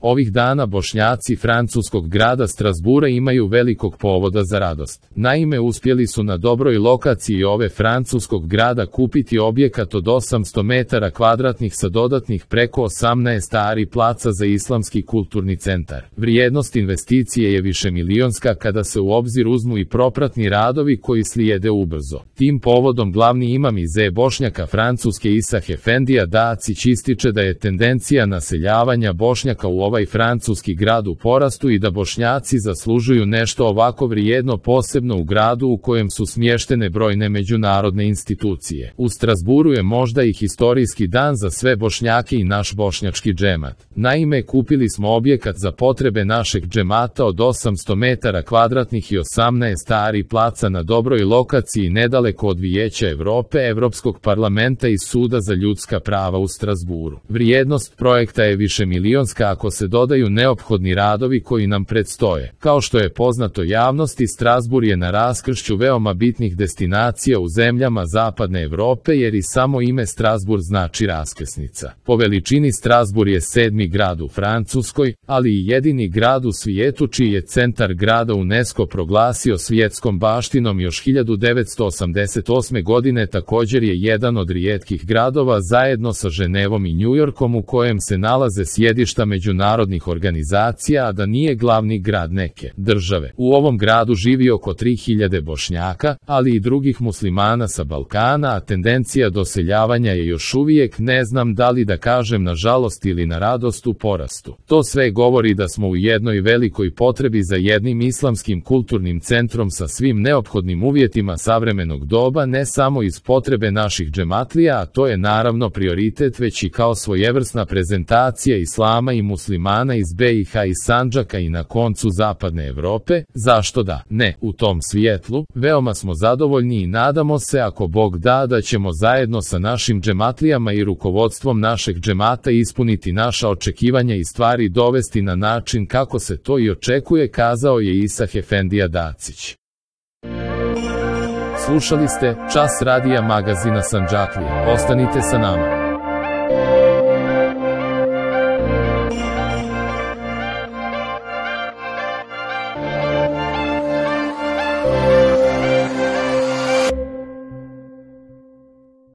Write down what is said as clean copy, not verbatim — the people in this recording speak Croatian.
Ovih dana Bošnjaci francuskog grada Strasbura imaju velikog povoda za radost. Naime, uspjeli su na dobroj lokaciji ove francuskog grada kupiti objekat od 800 metara kvadratnih sa dodatnih preko 18 ari placa za islamski kulturni centar. Vrijednost investicije je višemilionska kada se u obzir uzmu i propratni radovi koji slijede ubrzo. Tim povodom glavni imam iz Bošnjaka Francuske Isah Efendija Dacić ističe da je tendencija naseljavanja Bošnjaka u ovaj francuski grad u porastu i da Bošnjaci zaslužuju nešto ovako vrijedno, posebno u gradu u kojem su smještene brojne međunarodne institucije. U Strasburu je možda i historijski dan za sve Bošnjake i naš bošnjački džemat. Naime, kupili smo objekat za potrebe našeg džemata od 800 metara kvadratnih i 18 ari placa na dobroj lokaciji nedaleko od Vijeća Evrope, Evropskog parlamenta i Suda za ljudska prava u Strasburu. Vrijednost projekta je višemilionska ako se dodaju neophodni radovi koji nam predstoje. Kao što je poznato javnosti, Strasbur je na raskršću veoma bitnih destinacija u zemljama Zapadne Evrope, jer i samo ime Strasbur znači raskrsnica. Po veličini Strasbur je 7. grad u Francuskoj, ali i jedini grad u svijetu čiji je centar grada UNESCO proglasio svjetskom baštinom još 1988. godine. Također je jedan od rijetkih gradova zajedno sa Ženevom i Njujorkom u kojem se nalaze sjedišta međunarodnih organizacija, a da nije glavni grad neke države. U ovom gradu živi oko 3000 Bošnjaka, ali i drugih muslimana sa Balkana, a tendencija doseljavanja je još uvijek, ne znam da li da kažem na žalost ili na radost, u porastu. To sve govori da smo u jednoj velikoj potrebi za jednim islamskim kulturnim centrom sa svim neophodnim uvjetima savremenog doba, ne samo iz potrebe naših džematlija, a to je naravno prioritet, već i kao svojevrsna prezentacija islama i muslimana iz BiH i Sandžaka i na koncu Zapadne Evrope. Zašto da ne? U tom svijetlu veoma smo zadovoljni i nadamo se, ako Bog da, da ćemo zajedno sa našim džematlijama i rukovodstvom našeg džemata ispuniti naša očekivanja i stvari dovesti na način kako se to i očekuje, kazao je Isah Efendija Dacić. Slušali ste Čas radija magazina Sandžaklije. Ostanite sa nama.